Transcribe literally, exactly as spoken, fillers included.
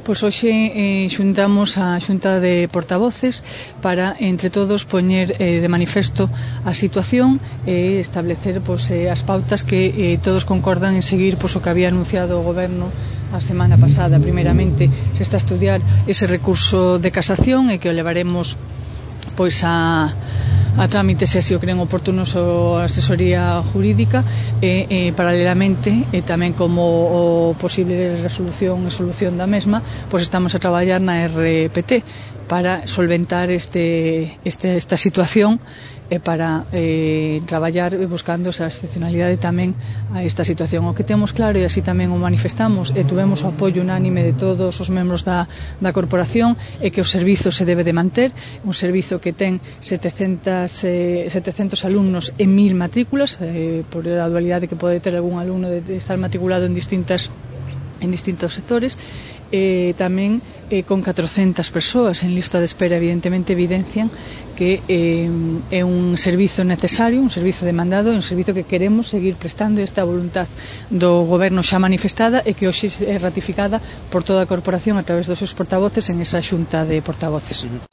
Pois hoxe eh, xuntamos a Xunta de Portavoces para, entre todos, poñer eh, de manifesto a situación e eh, establecer pois, eh, as pautas que eh, todos concordan en seguir pois, o que había anunciado o Goberno a semana pasada. Primeiramente, se está a estudiar ese recurso de casación e que o levaremos pois a a trámite se así o creen oportunos a asesoría jurídica e, e paralelamente e tamén como o posible resolución e solución da mesma, pois estamos a traballar na R P T para solventar este, este, esta situación e para eh, traballar buscando esa excepcionalidade tamén a esta situación. O que temos claro, e así tamén o manifestamos e tuvemos o apoio unánime de todos os membros da, da corporación, é que o servizo se debe de manter, un servizo que ten setecentos, eh, setecentos alumnos e mil matrículas, eh, por a dualidade que pode ter algún alumno de, de estar matriculado en distintas en distintos sectores, e tamén eh, con catrocentas persoas en lista de espera. Evidentemente evidencian que eh, é un servizo necesario, un servizo demandado, un servizo que queremos seguir prestando. Esta voluntad do Goberno xa manifestada e que hoxe é ratificada por toda a corporación a través dos seus portavoces en esa Xunta de Portavoces.